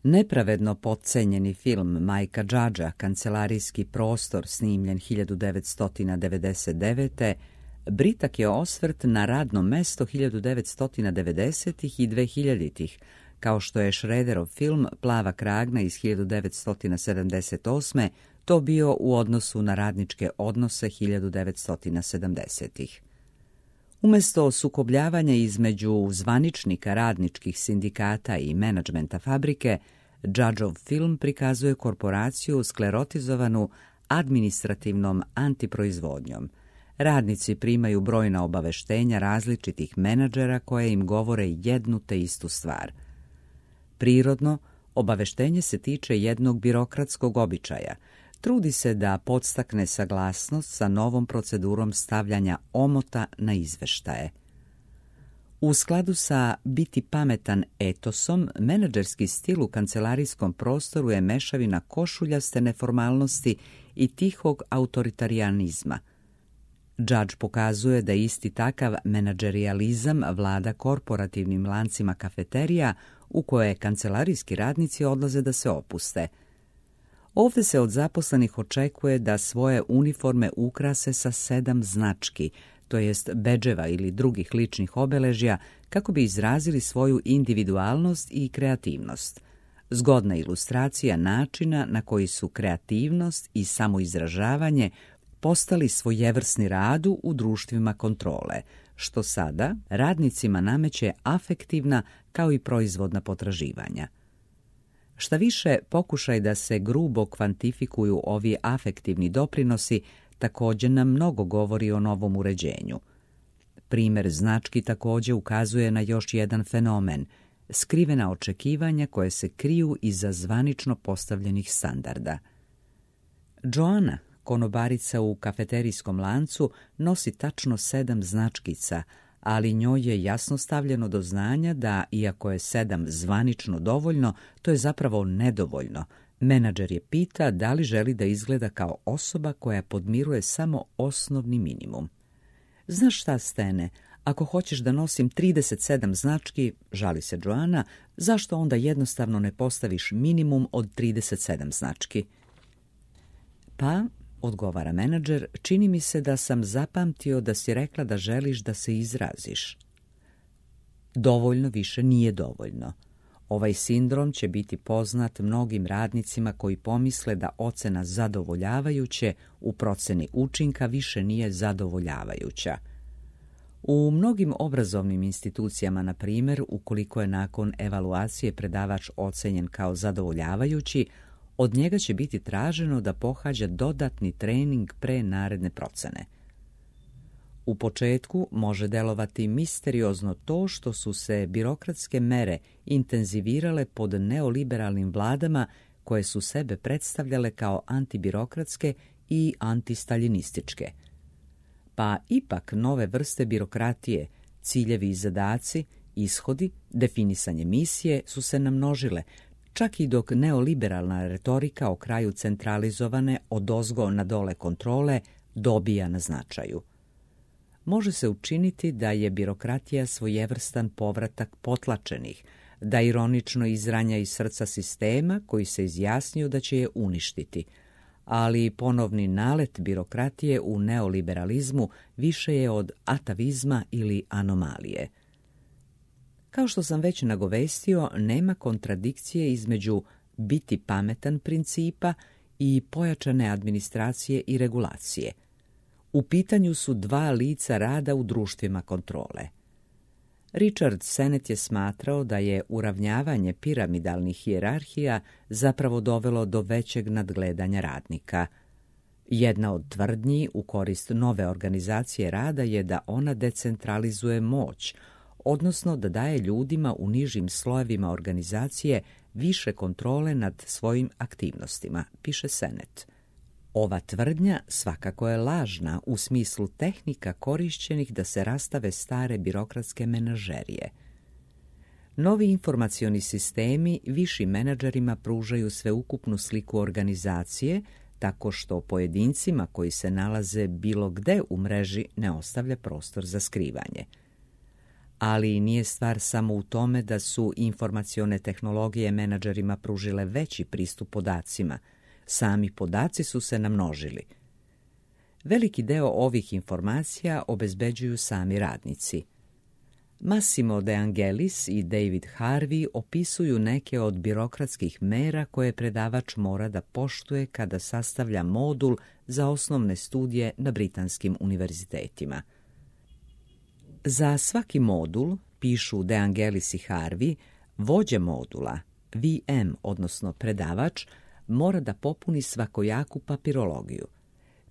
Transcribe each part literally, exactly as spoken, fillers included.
Nepravedno potcenjeni film Majka Džadža, Kancelarijski prostor, snimljen hiljadu devetsto devedeset devete. britak je osvrt na radno mesto hiljadu devetsto devedesetih i dvehiljaditih, kao što je Šrederov film Plava kragna iz hiljadu devetsto sedamdeset osme. to bio u odnosu na radničke odnose hiljadu devetsto sedamdesetih. Umjesto sukobljavanja između zvaničnika radničkih sindikata i menadžmenta fabrike, Džadžov film prikazuje korporaciju sklerotizovanu administrativnom antiproizvodnjom. Radnici primaju brojna obaveštenja različitih menadžera koje im govore jednu te istu stvar. Prirodno, obaveštenje se tiče jednog birokratskog običaja. Trudi se da podstakne saglasnost sa novom procedurom stavljanja omota na izveštaje. U skladu sa biti pametan etosom, menadžerski stil u kancelarijskom prostoru je mešavina košuljaste neformalnosti i tihog autoritarijanizma. Džadž pokazuje da isti takav menadžerijalizam vlada korporativnim lancima kafeterija u koje kancelarijski radnici odlaze da se opuste. Ovdje se od zaposlenih očekuje da svoje uniforme ukrase sa sedam znački, to jest bedževa ili drugih ličnih obeležja, kako bi izrazili svoju individualnost i kreativnost. Zgodna ilustracija načina na koji su kreativnost i samoizražavanje postali svojevrsni radu u društvima kontrole, što sada radnicima nameće afektivna kao i proizvodna potraživanja. Šta više, pokušaj da se grubo kvantifikuju ovi afektivni doprinosi također nam mnogo govori o novom uređenju. Primjer znački također ukazuje na još jedan fenomen, skrivena očekivanja koje se kriju iza zvanično postavljenih standarda. Joana, konobarica u kafeterijskom lancu, nosi tačno sedam značkica, ali njoj je jasno stavljeno do znanja da, iako je sedam zvanično dovoljno, to je zapravo nedovoljno. Menadžer je pita da li želi da izgleda kao osoba koja podmiruje samo osnovni minimum. Znaš šta, Stene, ako hoćeš da nosim trideset sedam znački, žali se Joana, zašto onda jednostavno ne postaviš minimum od trideset sedam znački? Pa, odgovara menadžer, čini mi se da sam zapamtio da si rekla da želiš da se izraziš. Dovoljno više nije dovoljno. Ovaj sindrom će biti poznat mnogim radnicima koji pomisle da ocena zadovoljavajuće u proceni učinka više nije zadovoljavajuća. U mnogim obrazovnim institucijama, na primjer, ukoliko je nakon evaluacije predavač ocenjen kao zadovoljavajući, od njega će biti traženo da pohađa dodatni trening pre naredne procene. U početku može delovati misteriozno to što su se birokratske mere intenzivirale pod neoliberalnim vladama koje su sebe predstavljale kao antibirokratske i antistaljinističke. Pa ipak nove vrste birokratije, ciljevi i zadaci, ishodi, definisanje misije su se namnožile, čak i dok neoliberalna retorika o kraju centralizovane odozgo na dole kontrole dobija na značaju. Može se učiniti da je birokratija svojevrstan povratak potlačenih, da ironično izranja iz srca sistema koji se izjasnio da će je uništiti, ali ponovni nalet birokratije u neoliberalizmu više je od atavizma ili anomalije. Kao što sam već nagovestio, nema kontradikcije između biti pametan principa i pojačane administracije i regulacije. U pitanju su dva lica rada u društvima kontrole. Richard Sennett je smatrao da je uravnjavanje piramidalnih hijerarhija zapravo dovelo do većeg nadgledanja radnika. Jedna od tvrdnji u korist nove organizacije rada je da ona decentralizuje moć, odnosno da daje ljudima u nižim slojevima organizacije više kontrole nad svojim aktivnostima, piše Sennett. Ova tvrdnja svakako je lažna u smislu tehnika korišćenih da se rastave stare birokratske menažerije. Novi informacioni sistemi višim menadžerima pružaju sveukupnu sliku organizacije, tako što pojedincima koji se nalaze bilo gde u mreži ne ostavlja prostor za skrivanje. Ali nije stvar samo u tome da su informacione tehnologije menadžerima pružile veći pristup podacima. Sami podaci su se namnožili. Veliki deo ovih informacija obezbeđuju sami radnici. Massimo De Angelis i David Harvey opisuju neke od birokratskih mera koje predavač mora da poštuje kada sastavlja modul za osnovne studije na britanskim univerzitetima. Za svaki modul, pišu De Angelis i Harvey, vođa modula, V M, odnosno predavač, mora da popuni svakojaku papirologiju.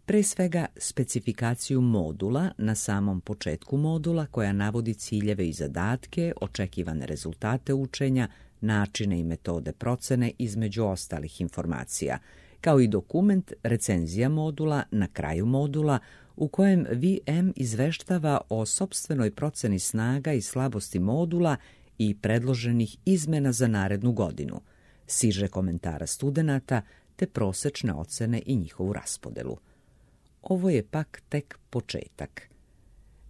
Pre svega specifikaciju modula na samom početku modula koja navodi ciljeve i zadatke, očekivane rezultate učenja, načine i metode procene između ostalih informacija, kao i dokument recenzija modula na kraju modula u kojem V M izveštava o sopstvenoj proceni snaga i slabosti modula i predloženih izmena za narednu godinu, siže komentara studenata te prosečne ocene i njihovu raspodelu. Ovo je pak tek početak.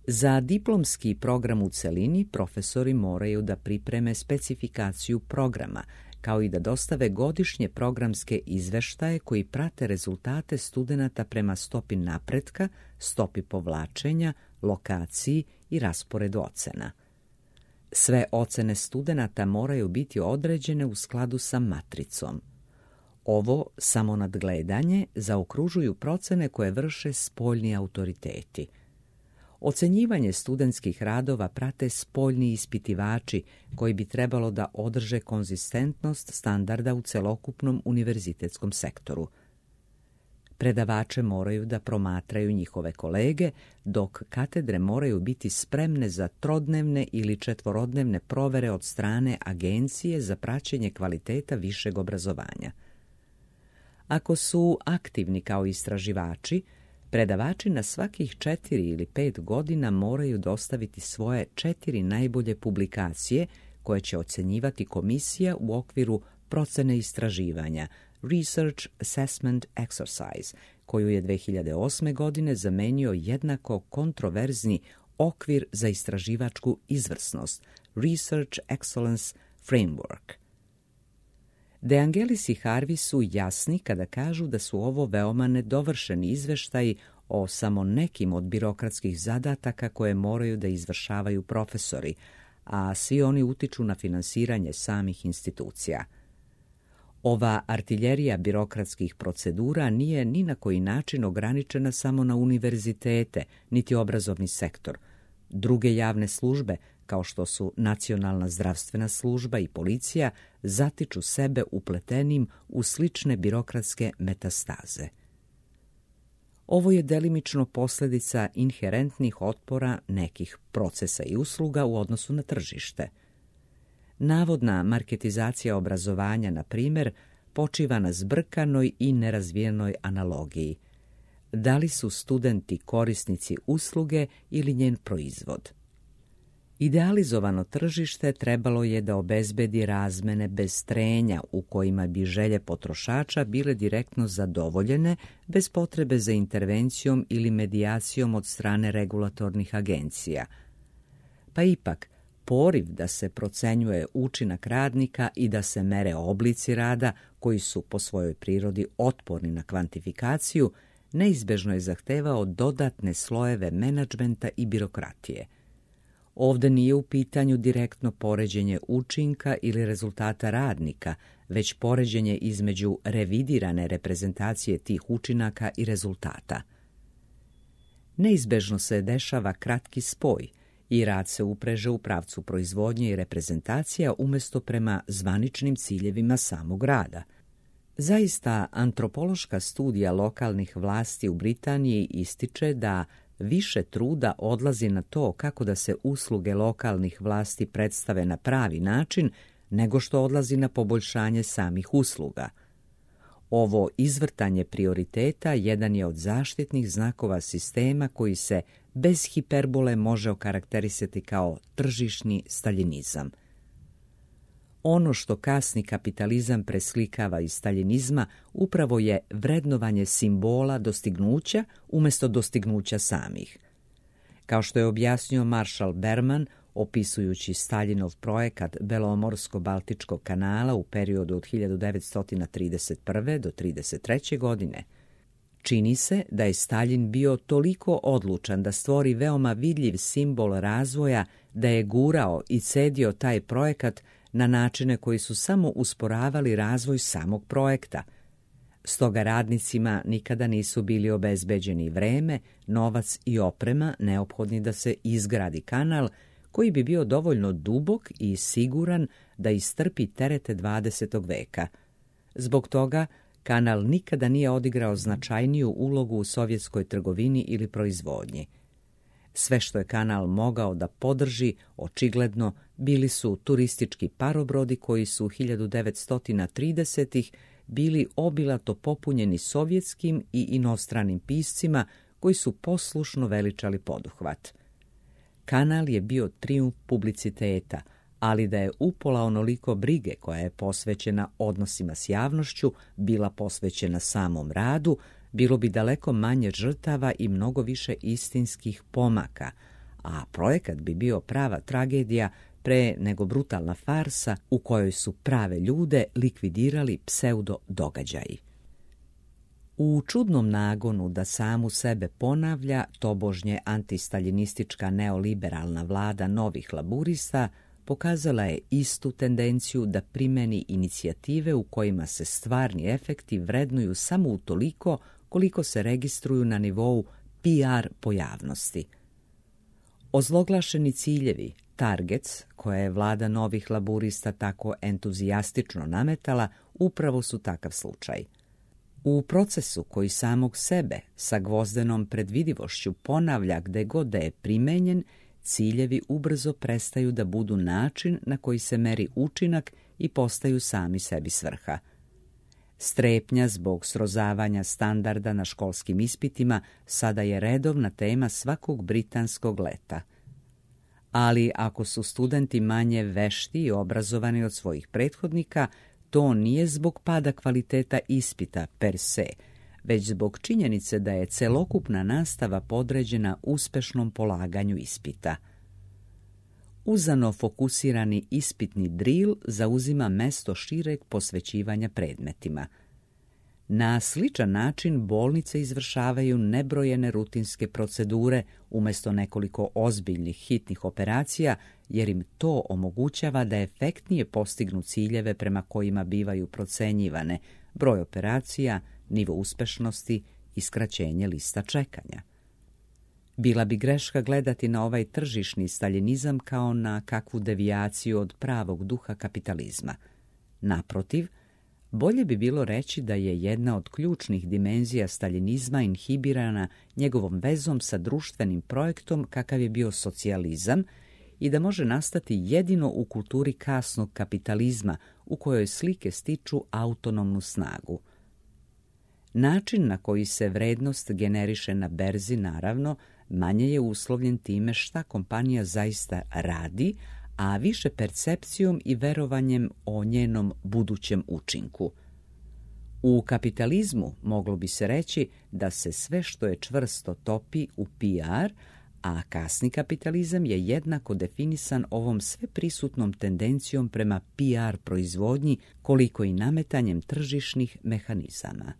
Za diplomski program u celini profesori moraju da pripreme specifikaciju programa, kao i da dostave godišnje programske izveštaje koji prate rezultate studenata prema stopi napretka, stopi povlačenja, lokaciji i rasporedu ocena. Sve ocene studenata moraju biti određene u skladu sa matricom. Ovo samonadgledanje zaokružuju procene koje vrše spoljni autoriteti. Ocenjivanje studentskih radova prate spoljni ispitivači koji bi trebalo da održe konzistentnost standarda u celokupnom univerzitetskom sektoru. Predavače moraju da promatraju njihove kolege, dok katedre moraju biti spremne za trodnevne ili četvorodnevne provere od strane Agencije za praćenje kvaliteta višeg obrazovanja. Ako su aktivni kao istraživači, predavači na svakih četiri ili pet godina moraju dostaviti svoje četiri najbolje publikacije koje će ocenjivati komisija u okviru procene istraživanja Research Assessment Exercise, koju je dve hiljade osme. godine zamenio jednako kontroverzni okvir za istraživačku izvrsnost Research Excellence Framework. De Angelis i Harvey su jasni kada kažu da su ovo veoma nedovršeni izveštaji o samo nekim od birokratskih zadataka koje moraju da izvršavaju profesori, a svi oni utiču na finansiranje samih institucija. Ova artiljerija birokratskih procedura nije ni na koji način ograničena samo na univerzitete, niti obrazovni sektor. Druge javne službe, kao što su Nacionalna zdravstvena služba i policija, zatiču sebe upletenim u slične birokratske metastaze. Ovo je delimično posljedica inherentnih otpora nekih procesa i usluga u odnosu na tržište. Navodna marketizacija obrazovanja, na primjer, počiva na zbrkanoj i nerazvijenoj analogiji. Da li su studenti korisnici usluge ili njen proizvod? Idealizovano tržište trebalo je da obezbedi razmene bez trenja u kojima bi želje potrošača bile direktno zadovoljene bez potrebe za intervencijom ili medijacijom od strane regulatornih agencija. Pa ipak, poriv da se procenjuje učinak radnika i da se mere oblici rada koji su po svojoj prirodi otporni na kvantifikaciju, neizbežno je zahtevao dodatne slojeve menadžmenta i birokratije. Ovde nije u pitanju direktno poređenje učinka ili rezultata radnika, već poređenje između revidirane reprezentacije tih učinaka i rezultata. Neizbežno se dešava kratki spoj i rad se upreže u pravcu proizvodnje i reprezentacija umjesto prema zvaničnim ciljevima samog rada. Zaista, antropološka studija lokalnih vlasti u Britaniji ističe da više truda odlazi na to kako da se usluge lokalnih vlasti predstave na pravi način, nego što odlazi na poboljšanje samih usluga. Ovo izvrtanje prioriteta jedan je od zaštitnih znakova sistema koji se bez hiperbole može okarakterisati kao tržišni staljinizam. Ono što kasni kapitalizam preslikava iz staljinizma upravo je vrednovanje simbola dostignuća umjesto dostignuća samih. Kao što je objasnio Marshall Berman opisujući Staljinov projekat Belomorsko-Baltičkog kanala u periodu od hiljadu devetsto trideset prve do trideset treće godine. Čini se da je Staljin bio toliko odlučan da stvori veoma vidljiv simbol razvoja da je gurao i cedio taj projekat na načine koji su samo usporavali razvoj samog projekta. Stoga radnicima nikada nisu bili obezbeđeni vreme, novac i oprema neophodni da se izgradi kanal koji bi bio dovoljno dubok i siguran da istrpi terete dvadesetog veka. Zbog toga kanal nikada nije odigrao značajniju ulogu u sovjetskoj trgovini ili proizvodnji. Sve što je kanal mogao da podrži, očigledno, bili su turistički parobrodi koji su hiljadu devetsto tridesetih bili obilato popunjeni sovjetskim i inostranim piscima koji su poslušno veličali poduhvat. Kanal je bio trijumf publiciteta, ali da je upola onoliko brige koja je posvećena odnosima s javnošću bila posvećena samom radu, bilo bi daleko manje žrtava i mnogo više istinskih pomaka, a projekat bi bio prava tragedija pre nego brutalna farsa u kojoj su prave ljude likvidirali pseudo događaji. U čudnom nagonu da samu sebe ponavlja, tobožnje antistaljinistička neoliberalna vlada novih laburista pokazala je istu tendenciju da primeni inicijative u kojima se stvarni efekti vrednuju samo utoliko koliko se registruju na nivou P R pojavnosti. Ozloglašeni ciljevi, targets, koje je vlada novih laburista tako entuzijastično nametala, upravo su takav slučaj. U procesu koji samog sebe sa gvozdenom predvidivošću ponavlja gde god da je primenjen, ciljevi ubrzo prestaju da budu način na koji se meri učinak i postaju sami sebi svrha. Strepnja zbog srozavanja standarda na školskim ispitima sada je redovna tema svakog britanskog leta. Ali ako su studenti manje vešti i obrazovani od svojih prethodnika, to nije zbog pada kvaliteta ispita per se, već zbog činjenice da je celokupna nastava podređena uspešnom polaganju ispita. Uzano fokusirani ispitni dril zauzima mesto šireg posvećivanja predmetima. Na sličan način bolnice izvršavaju nebrojene rutinske procedure umjesto nekoliko ozbiljnih hitnih operacija, jer im to omogućava da efektnije postignu ciljeve prema kojima bivaju procenjivane broj operacija, nivo uspešnosti i skraćenje lista čekanja. Bila bi greška gledati na ovaj tržišni staljinizam kao na kakvu devijaciju od pravog duha kapitalizma. Naprotiv, bolje bi bilo reći da je jedna od ključnih dimenzija staljinizma inhibirana njegovom vezom sa društvenim projektom kakav je bio socijalizam i da može nastati jedino u kulturi kasnog kapitalizma u kojoj slike stiču autonomnu snagu. Način na koji se vrednost generiše na berzi, naravno, manje je uslovljen time šta kompanija zaista radi, a više percepcijom i verovanjem o njenom budućem učinku. U kapitalizmu moglo bi se reći da se sve što je čvrsto topi u P R, a kasni kapitalizam je jednako definisan ovom sveprisutnom tendencijom prema P R proizvodnji koliko i nametanjem tržišnih mehanizama.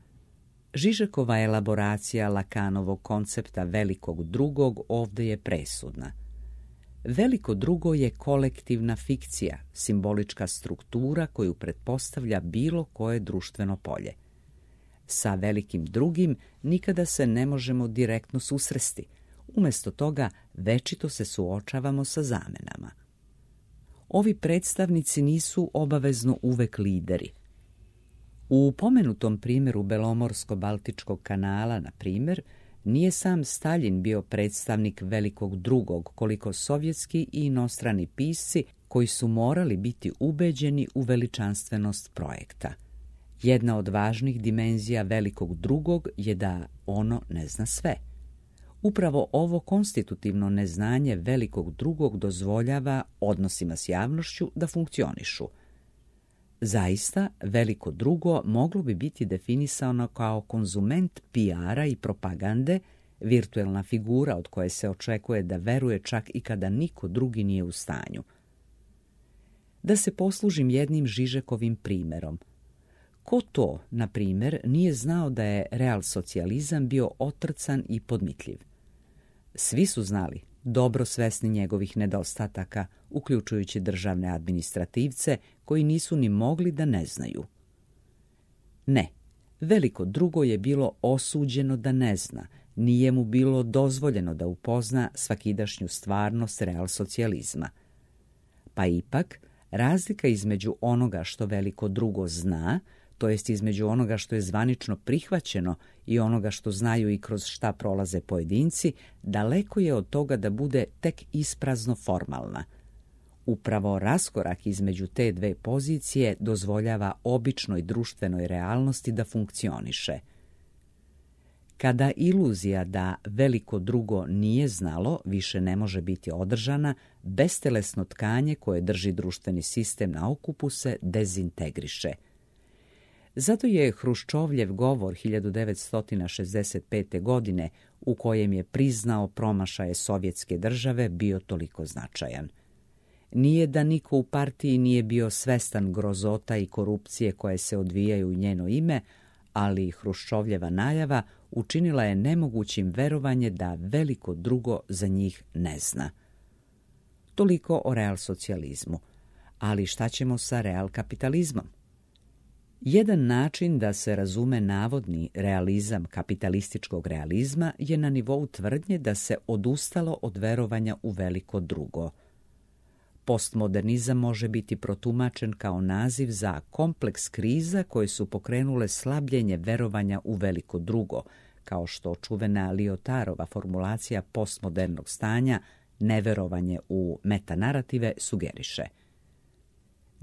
Žižekova elaboracija Lakanovog koncepta velikog drugog ovdje je presudna. Veliko drugo je kolektivna fikcija, simbolička struktura koju pretpostavlja bilo koje društveno polje. Sa velikim drugim nikada se ne možemo direktno susresti. Umjesto toga večito se suočavamo sa zamenama. Ovi predstavnici nisu obavezno uvek lideri. U pomenutom primjeru Belomorsko-Baltičkog kanala, na primjer, nije sam Staljin bio predstavnik velikog drugog, koliko sovjetski i inostrani pisci koji su morali biti ubeđeni u veličanstvenost projekta. Jedna od važnih dimenzija velikog drugog je da ono ne zna sve. Upravo ovo konstitutivno neznanje velikog drugog dozvoljava odnosima s javnošću da funkcionišu. Zaista, veliko drugo moglo bi biti definisano kao konzument P R-a i propagande, virtuelna figura od koje se očekuje da veruje čak i kada niko drugi nije u stanju. Da se poslužim jednim Žižekovim primjerom. Ko to, na primjer, nije znao da je realsocijalizam bio otrcan i podmitljiv? Svi su znali, dobro svesni njegovih nedostataka, uključujući državne administrativce koji nisu ni mogli da ne znaju. Ne, veliko drugo je bilo osuđeno da ne zna, nije mu bilo dozvoljeno da upozna svakidašnju stvarnost realsocijalizma. Pa ipak, razlika između onoga što veliko drugo zna, to jest između onoga što je zvanično prihvaćeno i onoga što znaju i kroz šta prolaze pojedinci, daleko je od toga da bude tek isprazno formalna. Upravo raskorak između te dve pozicije dozvoljava običnoj društvenoj realnosti da funkcioniše. Kada iluzija da veliko drugo nije znalo više ne može biti održana, bestelesno tkanje koje drži društveni sistem na okupu se dezintegriše. Zato je Hruščovljev govor hiljadu devetsto šezdeset pete. godine, u kojem je priznao promašaje Sovjetske države, bio toliko značajan. Nije da niko u partiji nije bio svestan grozota i korupcije koje se odvijaju u njeno ime, ali Hruščovljeva najava učinila je nemogućim verovanje da veliko drugo za njih ne zna. Toliko o realsocijalizmu. Ali šta ćemo sa realkapitalizmom? Jedan način da se razume navodni realizam kapitalističkog realizma je na nivou tvrdnje da se odustalo od verovanja u veliko drugo. Postmodernizam može biti protumačen kao naziv za kompleks kriza koje su pokrenule slabljenje verovanja u veliko drugo, kao što čuvena Lyotarova formulacija postmodernog stanja, neverovanje u metanarative, sugeriše.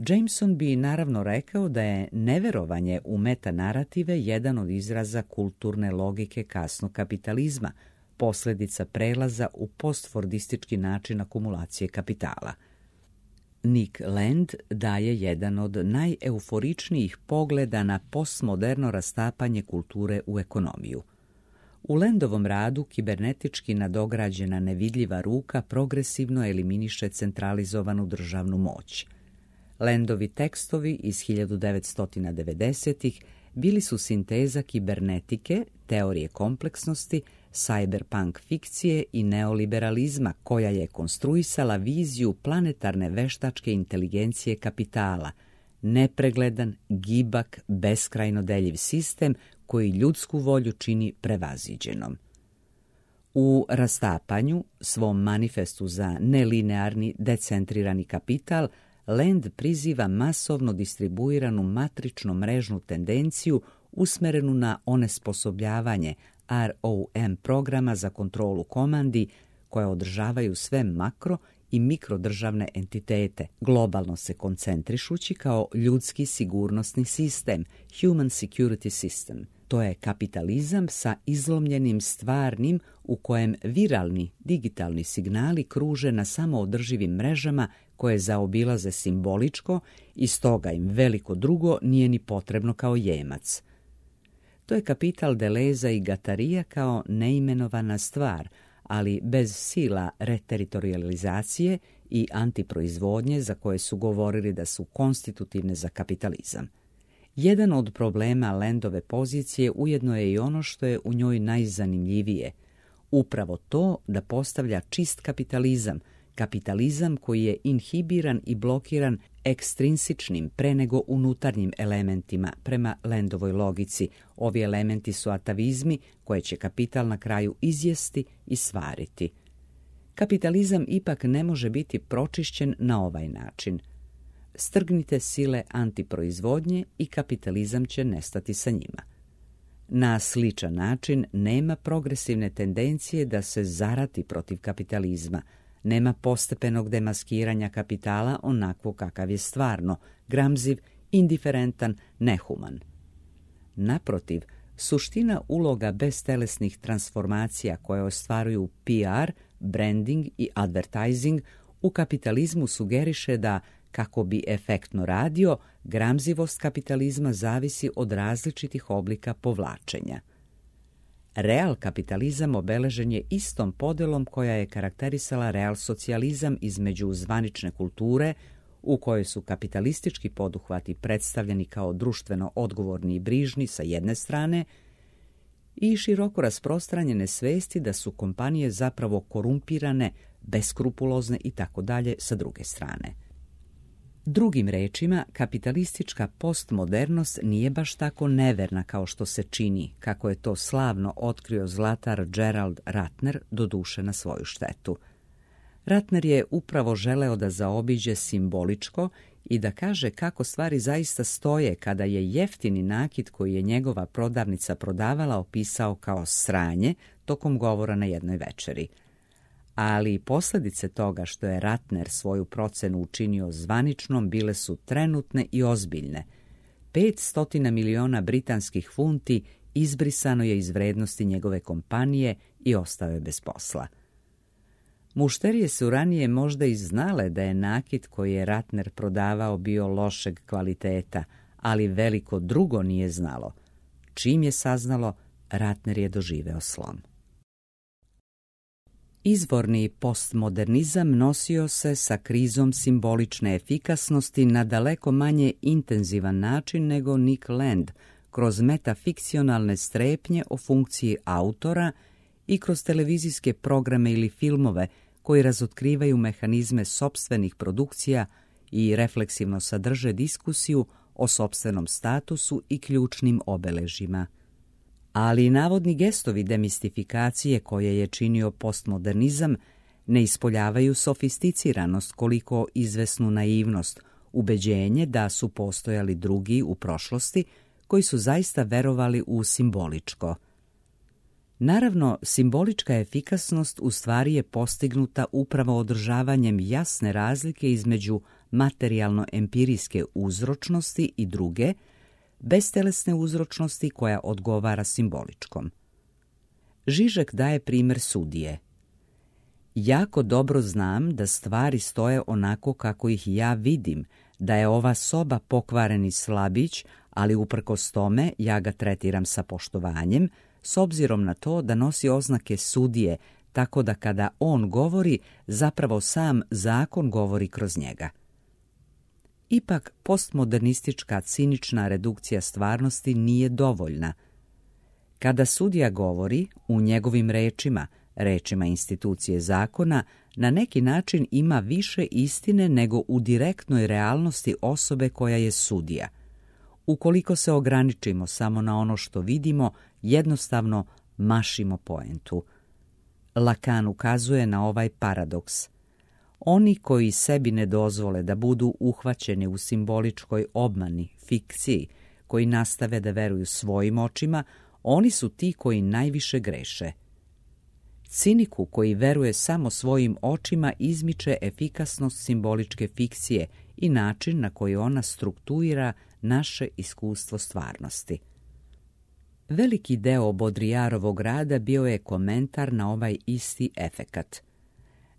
Jameson bi naravno rekao da je neverovanje u metanarative jedan od izraza kulturne logike kasnog kapitalizma, posljedica prelaza u postfordistički način akumulacije kapitala. Nick Land daje jedan od najeuforičnijih pogleda na postmoderno rastapanje kulture u ekonomiju. U Landovom radu kibernetički nadograđena nevidljiva ruka progresivno eliminiše centralizovanu državnu moć. Landovi tekstovi iz hiljadu devetsto devedesetih bili su sinteza kibernetike, teorije kompleksnosti, cyberpunk fikcije i neoliberalizma koja je konstruisala viziju planetarne veštačke inteligencije kapitala, nepregledan, gibak, beskrajno deljiv sistem koji ljudsku volju čini prevaziđenom. U Rastapanju, svom manifestu za nelinearni, decentrirani kapital, Land priziva masovno distribuiranu matrično mrežnu tendenciju usmerenu na onesposobljavanje R O M programa za kontrolu komandi koje održavaju sve makro i mikrodržavne entitete, globalno se koncentrišući kao ljudski sigurnosni sistem, Human Security System. To je kapitalizam sa izlomljenim stvarnim u kojem viralni digitalni signali kruže na samoodrživim mrežama koje zaobilaze simboličko i stoga im veliko drugo nije ni potrebno kao jemac. To je kapital Deleza i Gatarija kao neimenovana stvar, ali bez sila reteritorializacije i antiproizvodnje za koje su govorili da su konstitutivne za kapitalizam. Jedan od problema Landove pozicije ujedno je i ono što je u njoj najzanimljivije. Upravo to da postavlja čist kapitalizam, kapitalizam koji je inhibiran i blokiran ekstrinsičnim pre nego unutarnjim elementima prema Landovoj logici. Ovi elementi su atavizmi koje će kapital na kraju izjesti i svariti. Kapitalizam ipak ne može biti pročišćen na ovaj način. Strgnite sile antiproizvodnje i kapitalizam će nestati sa njima. Na sličan način nema progresivne tendencije da se zarati protiv kapitalizma, nema postepenog demaskiranja kapitala onako kakav je stvarno, gramziv, indiferentan, nehuman. Naprotiv, suština uloga beztelesnih transformacija koje ostvaruju P R, branding i advertising u kapitalizmu sugeriše da, kako bi efektno radio, gramzivost kapitalizma zavisi od različitih oblika povlačenja. real kapitalizam obeležen je istom podelom koja je karakterisala real socijalizam između zvanične kulture, u kojoj su kapitalistički poduhvati predstavljeni kao društveno odgovorni i brižni sa jedne strane i široko rasprostranjene svesti da su kompanije zapravo korumpirane, beskrupulozne i tako dalje sa druge strane. Drugim rečima, kapitalistička postmodernost nije baš tako neverna kao što se čini, kako je to slavno otkrio zlatar Gerald Ratner, doduše na svoju štetu. Ratner je upravo želeo da zaobiđe simboličko i da kaže kako stvari zaista stoje kada je jeftini nakit koji je njegova prodavnica prodavala opisao kao sranje tokom govora na jednoj večeri. Ali posljedice toga što je Ratner svoju procenu učinio zvaničnom bile su trenutne i ozbiljne. petsto miliona britanskih funti izbrisano je iz vrednosti njegove kompanije i ostao je bez posla. Mušterije su ranije možda i znale da je nakit koji je Ratner prodavao bio lošeg kvaliteta, ali veliko drugo nije znalo. Čim je saznalo, Ratner je doživeo slom. Izvorni postmodernizam nosio se sa krizom simbolične efikasnosti na daleko manje intenzivan način nego Nick Land, kroz metafikcionalne strepnje o funkciji autora i kroz televizijske programe ili filmove koji razotkrivaju mehanizme sopstvenih produkcija i refleksivno sadrže diskusiju o sopstvenom statusu i ključnim obeležjima. Ali navodni gestovi demistifikacije koje je činio postmodernizam ne ispoljavaju sofisticiranost koliko izvesnu naivnost, ubeđenje da su postojali drugi u prošlosti koji su zaista verovali u simboličko. Naravno, simbolička efikasnost u stvari je postignuta upravo održavanjem jasne razlike između materijalno-empirijske uzročnosti i druge, bestelesne uzročnosti koja odgovara simboličkom. Žižek daje primjer sudije. Jako dobro znam da stvari stoje onako kako ih ja vidim, da je ova soba pokvareni slabić, ali uprkos tome ja ga tretiram sa poštovanjem, s obzirom na to da nosi oznake sudije, tako da kada on govori, zapravo sam zakon govori kroz njega. Ipak, postmodernistička cinična redukcija stvarnosti nije dovoljna. Kada sudija govori, u njegovim rečima, rečima institucije zakona, na neki način ima više istine nego u direktnoj realnosti osobe koja je sudija. Ukoliko se ograničimo samo na ono što vidimo, jednostavno mašimo poentu. Lacan ukazuje na ovaj paradoks. Oni koji sebi ne dozvole da budu uhvaćeni u simboličkoj obmani, fikciji, koji nastave da veruju svojim očima, oni su ti koji najviše greše. Ciniku koji veruje samo svojim očima izmiče efikasnost simboličke fikcije i način na koji ona strukturira naše iskustvo stvarnosti. Veliki deo Baudrillardovog rada bio je komentar na ovaj isti efekat.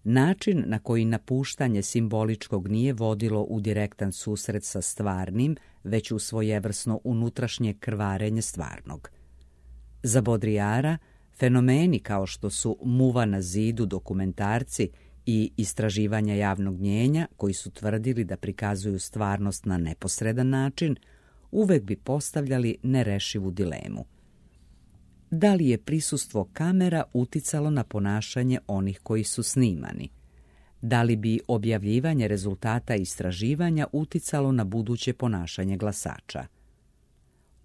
Način na koji napuštanje simboličkog nije vodilo u direktan susret sa stvarnim, već u svojevrsno unutrašnje krvarenje stvarnog. Za Baudrillarda, fenomeni kao što su muva na zidu dokumentarci i istraživanja javnog mnijenja, koji su tvrdili da prikazuju stvarnost na neposredan način, uvek bi postavljali nerešivu dilemu. Da li je prisustvo kamera uticalo na ponašanje onih koji su snimani? Da li bi objavljivanje rezultata istraživanja uticalo na buduće ponašanje glasača?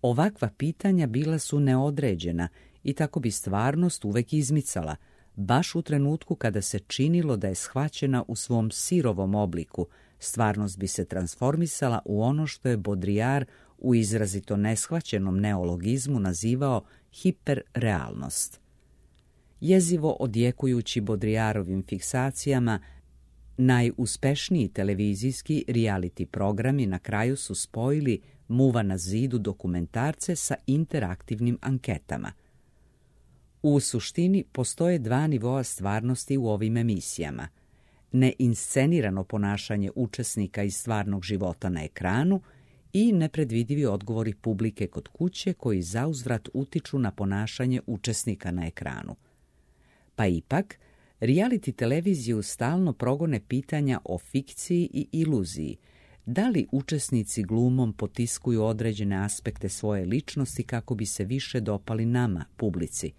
Ovakva pitanja bila su neodređena i tako bi stvarnost uvek izmicala, baš u trenutku kada se činilo da je shvaćena u svom sirovom obliku, stvarnost bi se transformisala u ono što je Baudrillard u izrazito neshvaćenom neologizmu nazivao hiperrealnost. Jezivo odjekujući Baudrillardovim fiksacijama, najuspešniji televizijski reality programi na kraju su spojili muva na zidu dokumentarce sa interaktivnim anketama. U suštini postoje dva nivoa stvarnosti u ovim emisijama. Neinscenirano ponašanje učesnika iz stvarnog života na ekranu i nepredvidivi odgovori publike kod kuće koji zauzvrat utiču na ponašanje učesnika na ekranu. Pa ipak, reality televiziju stalno progone pitanja o fikciji i iluziji. Da li učesnici glumom potiskuju određene aspekte svoje ličnosti kako bi se više dopali nama, publici?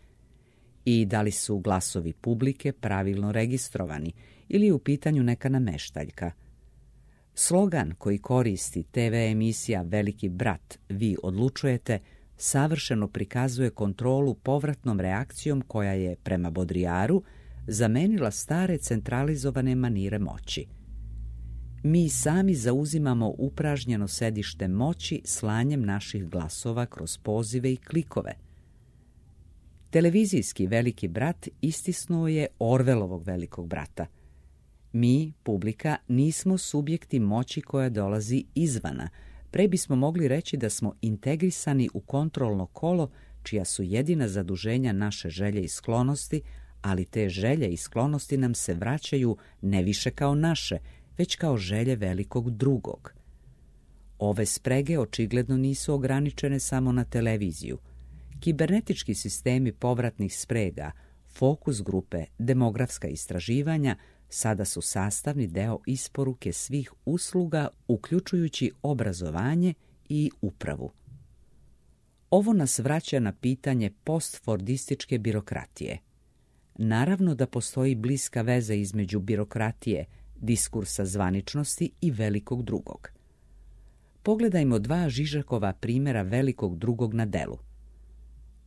I da li su glasovi publike pravilno registrovani ili je u pitanju neka nameštaljka? Slogan koji koristi te ve emisija Veliki brat, vi odlučujete, savršeno prikazuje kontrolu povratnom reakcijom koja je, prema Baudrillardu, zamenila stare centralizovane manire moći. Mi sami zauzimamo upražnjeno sedište moći slanjem naših glasova kroz pozive i klikove. Televizijski Veliki brat istisnuo je Orwelovog Velikog brata. Mi, publika, nismo subjekti moći koja dolazi izvana. Pre bismo mogli reći da smo integrisani u kontrolno kolo čija su jedina zaduženja naše želje i sklonosti, ali te želje i sklonosti nam se vraćaju ne više kao naše, već kao želje velikog drugog. Ove sprege očigledno nisu ograničene samo na televiziju. Kibernetički sistemi povratnih sprega, fokus grupe, demografska istraživanja sada su sastavni deo isporuke svih usluga, uključujući obrazovanje i upravu. Ovo nas vraća na pitanje postfordističke birokratije. Naravno da postoji bliska veza između birokratije, diskursa zvaničnosti i velikog drugog. Pogledajmo dva Žižekova primjera velikog drugog na delu.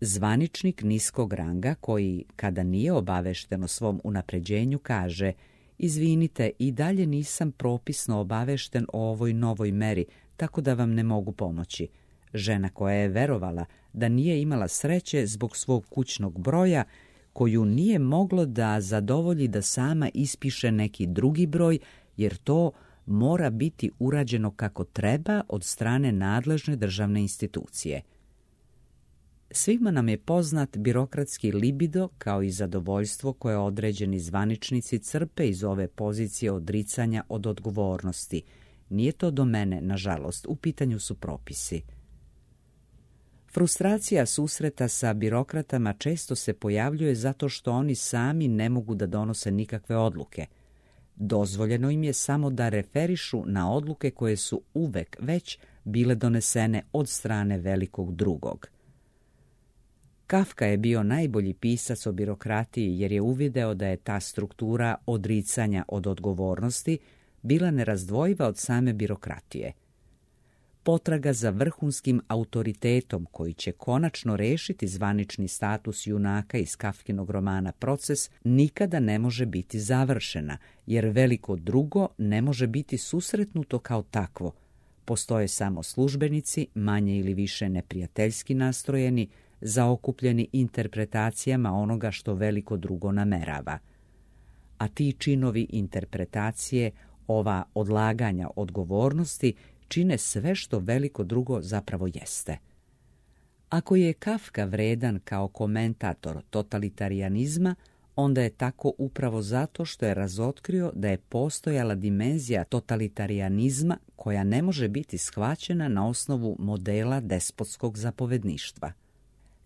Zvaničnik niskog ranga koji, kada nije obavešten o svom unapređenju, kaže: izvinite, i dalje nisam propisno obavešten o ovoj novoj meri, tako da vam ne mogu pomoći. Žena koja je verovala da nije imala sreće zbog svog kućnog broja, koju nije moglo da zadovolji da sama ispiše neki drugi broj, jer to mora biti urađeno kako treba od strane nadležne državne institucije. Svima nam je poznat birokratski libido kao i zadovoljstvo koje određeni zvaničnici crpe iz ove pozicije odricanja od odgovornosti. Nije to do mene, nažalost, u pitanju su propisi. Frustracija susreta sa birokratama često se pojavljuje zato što oni sami ne mogu da donose nikakve odluke. Dozvoljeno im je samo da referišu na odluke koje su uvek već bile donesene od strane velikog drugog. Kafka je bio najbolji pisac o birokratiji jer je uvideo da je ta struktura odricanja od odgovornosti bila nerazdvojiva od same birokratije. Potraga za vrhunskim autoritetom koji će konačno rešiti zvanični status junaka iz Kafkinog romana Proces nikada ne može biti završena, jer veliko drugo ne može biti susretnuto kao takvo. Postoje samo službenici, manje ili više neprijateljski nastrojeni, zaokupljeni interpretacijama onoga što veliko drugo namerava. A ti činovi interpretacije, ova odlaganja odgovornosti, čine sve što veliko drugo zapravo jeste. Ako je Kafka vredan kao komentator totalitarijanizma, onda je tako upravo zato što je razotkrio da je postojala dimenzija totalitarijanizma koja ne može biti shvaćena na osnovu modela despotskog zapovedništva.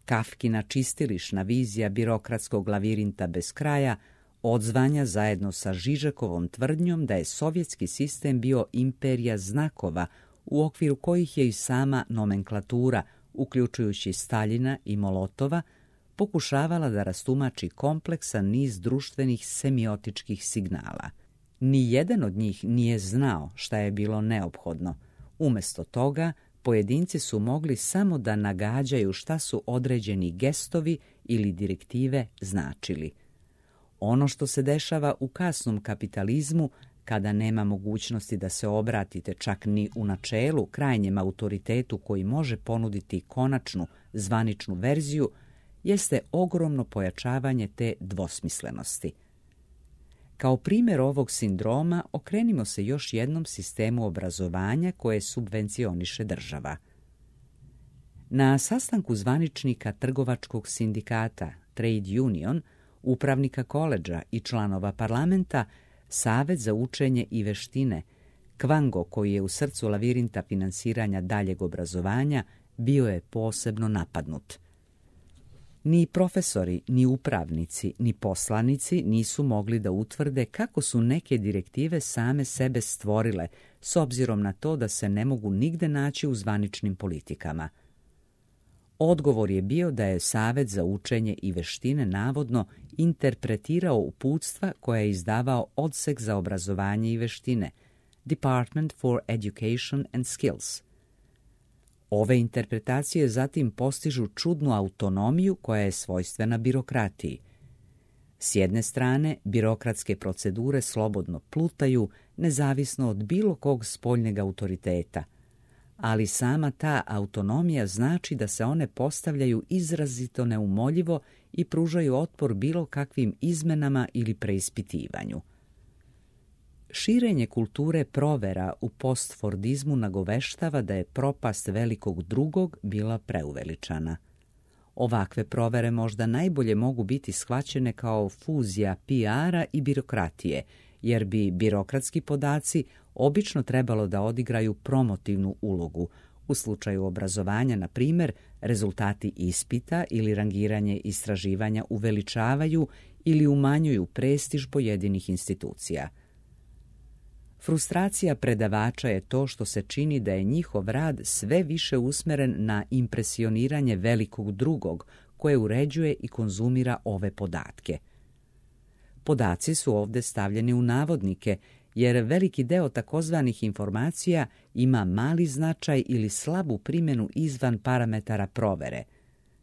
Kafkina čistilišna vizija birokratskog lavirinta bez kraja odzvanja zajedno sa Žižekovom tvrdnjom da je sovjetski sistem bio imperija znakova u okviru kojih je i sama nomenklatura, uključujući Staljina i Molotova, pokušavala da rastumači kompleksan niz društvenih semiotičkih signala. Nijedan od njih nije znao šta je bilo neophodno. Umesto toga, pojedinci su mogli samo da nagađaju šta su određeni gestovi ili direktive značili. Ono što se dešava u kasnom kapitalizmu, kada nema mogućnosti da se obratite čak ni u načelu krajnjem autoritetu koji može ponuditi konačnu zvaničnu verziju, jeste ogromno pojačavanje te dvosmislenosti. Kao primjer ovog sindroma okrenimo se još jednom sistemu obrazovanja koje subvencioniše država. Na sastanku zvaničnika trgovačkog sindikata Trade Union, upravnika koledža i članova parlamenta, Savet za učenje i veštine, Kvango, koji je u srcu lavirinta finansiranja daljeg obrazovanja, bio je posebno napadnut. Ni profesori, ni upravnici, ni poslanici nisu mogli da utvrde kako su neke direktive same sebe stvorile, s obzirom na to da se ne mogu nigde naći u zvaničnim politikama. Odgovor je bio da je Savet za učenje i veštine navodno interpretirao uputstva koje je izdavao Odsek za obrazovanje i veštine, Department for Education and Skills. Ove interpretacije zatim postižu čudnu autonomiju koja je svojstvena birokratiji. S jedne strane, birokratske procedure slobodno plutaju, nezavisno od bilo kog spoljneg autoriteta, ali sama ta autonomija znači da se one postavljaju izrazito neumoljivo i pružaju otpor bilo kakvim izmenama ili preispitivanju. Širenje kulture provera u postfordizmu nagoveštava da je propast velikog drugog bila preuveličana. Ovakve provere možda najbolje mogu biti shvaćene kao fuzija P R-a i birokratije, jer bi birokratski podaci obično trebalo da odigraju promotivnu ulogu. U slučaju obrazovanja, na primjer, rezultati ispita ili rangiranje istraživanja uveličavaju ili umanjuju prestiž pojedinih institucija. Frustracija predavača je to što se čini da je njihov rad sve više usmeren na impresioniranje velikog drugog koje uređuje i konzumira ove podatke. Podaci su ovdje stavljeni u navodnike, jer veliki deo takozvanih informacija ima mali značaj ili slabu primjenu izvan parametara provere.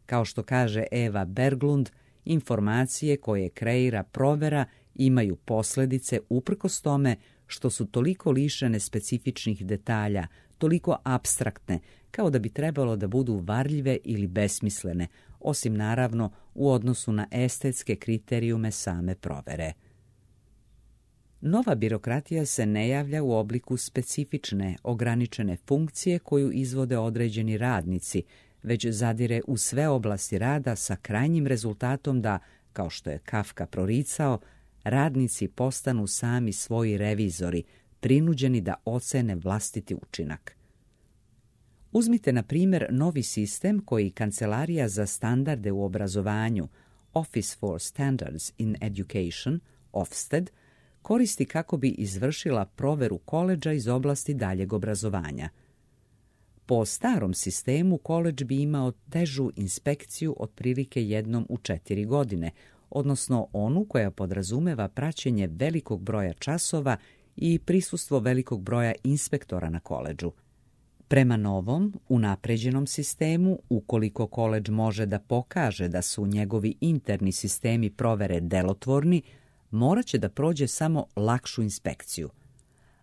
Kao što kaže Eva Berglund, informacije koje kreira provera imaju posljedice uprkos tome što su toliko lišene specifičnih detalja, toliko apstraktne, kao da bi trebalo da budu varljive ili besmislene, osim naravno u odnosu na estetske kriterijume same provere. Nova birokratija se ne javlja u obliku specifične, ograničene funkcije koju izvode određeni radnici, već zadire u sve oblasti rada sa krajnjim rezultatom da, kao što je Kafka proricao, radnici postanu sami svoji revizori, prinuđeni da ocene vlastiti učinak. Uzmite, na primjer, novi sistem koji Kancelarija za standarde u obrazovanju, Office for Standards in Education, Ofsted, koristi kako bi izvršila proveru koledža iz oblasti daljeg obrazovanja. Po starom sistemu koledž bi imao težu inspekciju otprilike jednom u četiri godine, odnosno onu koja podrazumeva praćenje velikog broja časova i prisustvo velikog broja inspektora na koledžu. Prema novom, unapređenom sistemu, ukoliko koledž može da pokaže da su njegovi interni sistemi provere delotvorni, morat će da prođe samo lakšu inspekciju.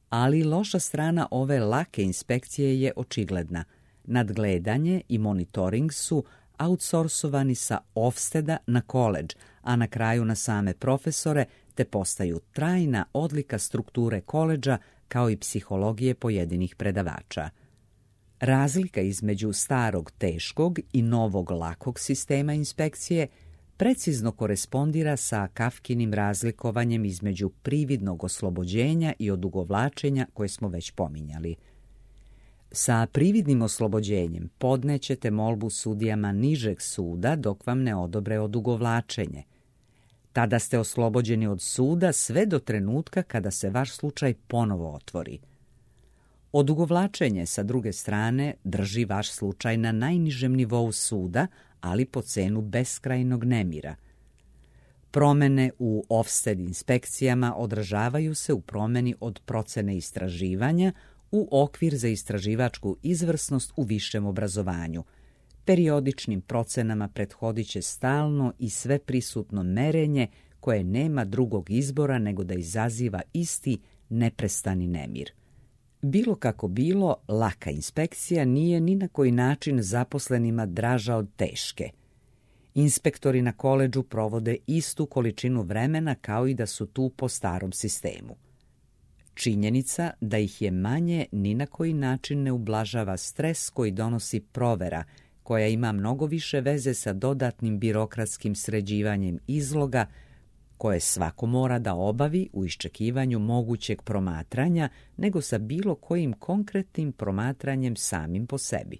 Ali loša strana ove lake inspekcije je očigledna. Nadgledanje i monitoring su outsourcovani sa Ofsteda na koledž, a na kraju na same profesore, te postaju trajna odlika strukture koledža kao i psihologije pojedinih predavača. Razlika između starog teškog i novog lakog sistema inspekcije precizno korespondira sa Kafkinim razlikovanjem između prividnog oslobođenja i odugovlačenja koje smo već pominjali. Sa prividnim oslobođenjem podnećete molbu sudijama nižeg suda dok vam ne odobre odugovlačenje. Tada ste oslobođeni od suda sve do trenutka kada se vaš slučaj ponovo otvori. Odugovlačenje, sa druge strane, drži vaš slučaj na najnižem nivou suda, ali po cenu beskrajnog nemira. Promene u Ofsted inspekcijama odražavaju se u promeni od procene istraživanja u okvir za istraživačku izvrsnost u višem obrazovanju. Periodičnim procenama prethodit će stalno i sveprisutno merenje koje nema drugog izbora nego da izaziva isti neprestani nemir. Bilo kako bilo, laka inspekcija nije ni na koji način zaposlenima draža od teške. Inspektori na koledžu provode istu količinu vremena kao i da su tu po starom sistemu. Činjenica da ih je manje ni na koji način ne ublažava stres koji donosi provera, koja ima mnogo više veze sa dodatnim birokratskim sređivanjem izloga koje svako mora da obavi u iščekivanju mogućeg promatranja, nego sa bilo kojim konkretnim promatranjem samim po sebi.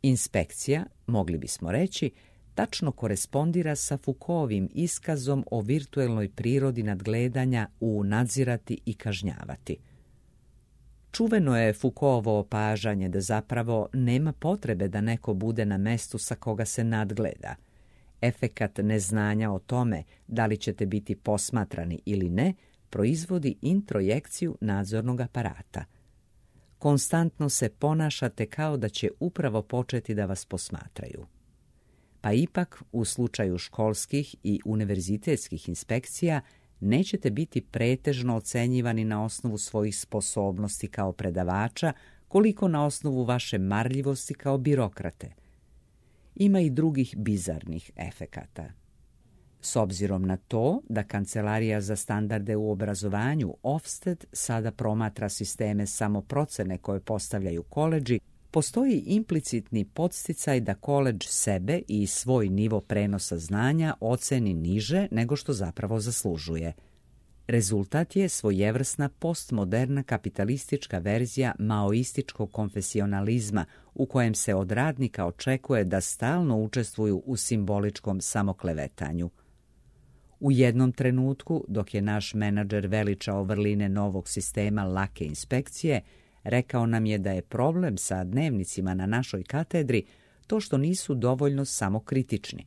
Inspekcija, mogli bismo reći, tačno korespondira sa Foucaultovim iskazom o virtuelnoj prirodi nadgledanja u nadzirati i kažnjavati. Čuveno je Foucaultovo opažanje da zapravo nema potrebe da neko bude na mestu sa koga se nadgleda. Efekat neznanja o tome da li ćete biti posmatrani ili ne proizvodi introjekciju nadzornog aparata. Konstantno se ponašate kao da će upravo početi da vas posmatraju. Pa ipak, u slučaju školskih i univerzitetskih inspekcija, nećete biti pretežno ocenjivani na osnovu svojih sposobnosti kao predavača, koliko na osnovu vaše marljivosti kao birokrate. Ima i drugih bizarnih efekata. S obzirom na to da Kancelarija za standarde u obrazovanju Ofsted sada promatra sisteme samoprocene koje postavljaju koledži, postoji implicitni podsticaj da koledž sebe i svoj nivo prenosa znanja oceni niže nego što zapravo zaslužuje. Rezultat je svojevrsna postmoderna kapitalistička verzija maoističkog konfesionalizma u kojem se od radnika očekuje da stalno učestvuju u simboličkom samoklevetanju. U jednom trenutku, dok je naš menadžer veličao vrline novog sistema lake inspekcije, rekao nam je da je problem sa dnevnicima na našoj katedri to što nisu dovoljno samokritični.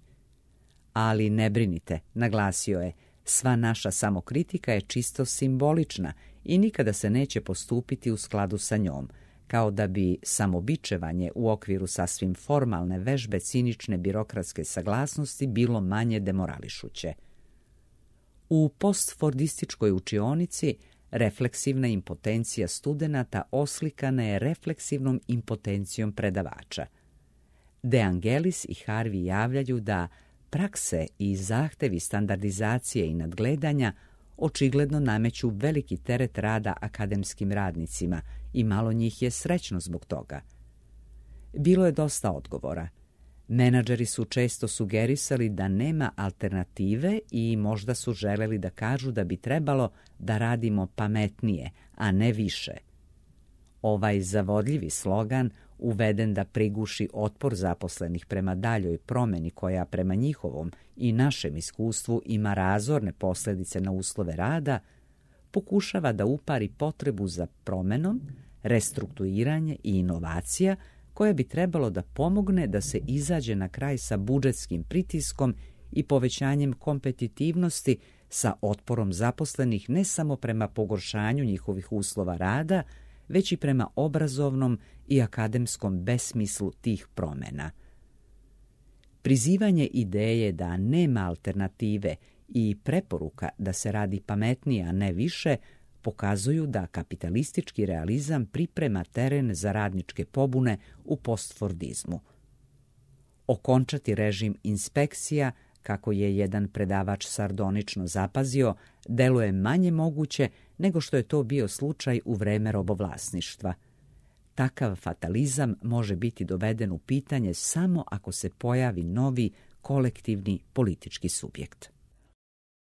Ali ne brinite, naglasio je, sva naša samokritika je čisto simbolična i nikada se neće postupiti u skladu sa njom, kao da bi samobičevanje u okviru sasvim formalne vežbe cinične birokratske saglasnosti bilo manje demorališuće. U postfordističkoj učionici refleksivna impotencija studenata oslikana je refleksivnom impotencijom predavača. De Angelis i Harvey javljaju da prakse i zahtevi standardizacije i nadgledanja očigledno nameću veliki teret rada akademskim radnicima i malo njih je srećno zbog toga. Bilo je dosta odgovora. Menadžeri su često sugerisali da nema alternative i možda su želeli da kažu da bi trebalo da radimo pametnije, a ne više. Ovaj zavodljivi slogan, uveden da priguši otpor zaposlenih prema daljoj promeni koja prema njihovom i našem iskustvu ima razorne posljedice na uslove rada, pokušava da upari potrebu za promenom, restrukturiranje i inovacija koje bi trebalo da pomogne da se izađe na kraj sa budžetskim pritiskom i povećanjem kompetitivnosti sa otporom zaposlenih ne samo prema pogoršanju njihovih uslova rada, već i prema obrazovnom i akademskom besmislu tih promjena. Prizivanje ideje da nema alternative i preporuka da se radi pametnije, a ne više, pokazuju da kapitalistički realizam priprema teren za radničke pobune u postfordizmu. Okončati režim inspekcija, kako je jedan predavač sardonično zapazio, deluje manje moguće nego što je to bio slučaj u vreme robovlasništva. Takav fatalizam može biti doveden u pitanje samo ako se pojavi novi kolektivni politički subjekt.